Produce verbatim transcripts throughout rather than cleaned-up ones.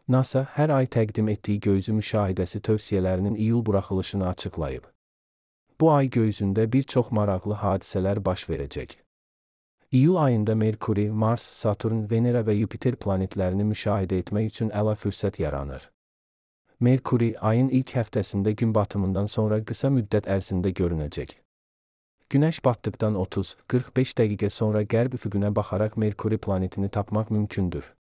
NASA hər ay təqdim etdiyi göy üzü müşahidəsi tövsiyələrinin iyul buraxılışını açıqlayıb. Bu ay göy üzündə bir çox maraqlı hadisələr baş verəcək. İyul ayında Merkuri, Mars, Saturn, Venera və Yupiter planetlərini müşahidə etmək üçün əla fürsət yaranır. Merkuri, ayın ilk həftəsində gün batımından sonra qısa müddət ərzində görünəcək. Günəş batdıqdan otuz qırx beş dəqiqə sonra qərb üfüqünə baxaraq Merkuri planetini tapmaq mümkündür.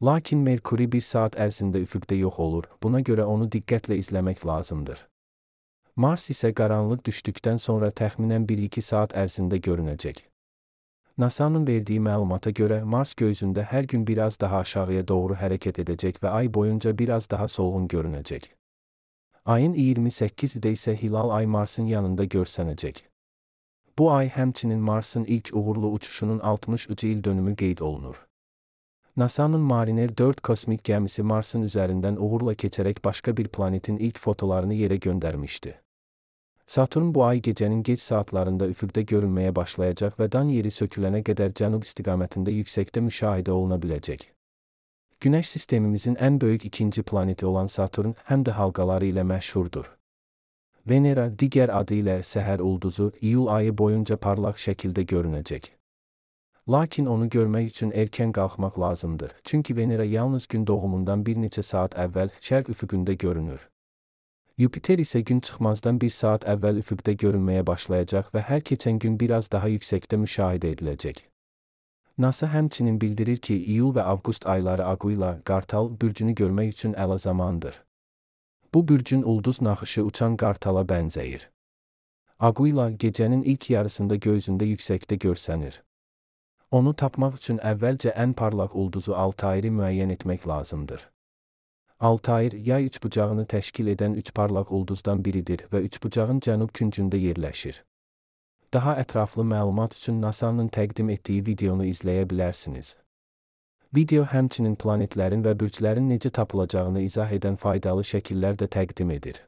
Lakin Merkuri bir saat ərzində üfüqdə yox olur, buna görə onu diqqətlə izləmək lazımdır. Mars isə qaranlıq düşdükdən sonra təxminən bir iki saat ərzində görünəcək. NASA'nın verdiyi məlumata görə Mars göyüzündə hər gün biraz daha aşağıya doğru hərəkət edəcək və ay boyunca biraz daha solğun görünəcək. Ayın iyirmi səkkizində isə hilal ay Marsın yanında görsənəcək. Bu ay həmçinin Marsın ilk uğurlu uçuşunun altmış üç il dönümü qeyd olunur. NASA'nın Mariner dörd kosmik gəmisi Marsın üzərindən uğurla keçərək başqa bir planetin ilk fotolarını yerə göndərmişdi. Saturn bu ay gecənin gec saatlarında üfüqdə görünməyə başlayacaq və dan yeri sökülənə qədər cənub istiqamətində yüksəkdə müşahidə oluna biləcək. Günəş sistemimizin ən böyük ikinci planeti olan Saturn həm də halqaları ilə məşhurdur. Venera, digər adı ilə səhər ulduzu, iyul ayı boyunca parlaq şəkildə görünəcək. Lakin onu görmək üçün erkən qalxmaq lazımdır, çünki Venera yalnız gün doğumundan bir neçə saat əvvəl şərq üfüqündə görünür. Yupiter isə gün çıxmazdan bir saat əvvəl üfüqdə görünməyə başlayacaq və hər keçən gün biraz daha yüksəkdə müşahidə ediləcək. NASA həmçinin bildirir ki, iyul və avqust ayları Aquila, qartal bürcünü görmək üçün əla zamandır. Bu bürcün ulduz naxışı uçan qartala bənzəyir. Aquila gecənin ilk yarısında göy üzündə yüksəkdə görsənir. Onu tapmaq üçün əvvəlcə ən parlaq ulduzu Altairi müəyyən etmək lazımdır. Altair, yay üçbucağını təşkil edən üç parlaq ulduzdan biridir və üçbucağın cənub küncündə yerləşir. Daha ətraflı məlumat üçün NASA'nın təqdim etdiyi videonu izləyə bilərsiniz. Video həmçinin planetlərin və bürclərin necə tapılacağını izah edən faydalı şəkillər də təqdim edir.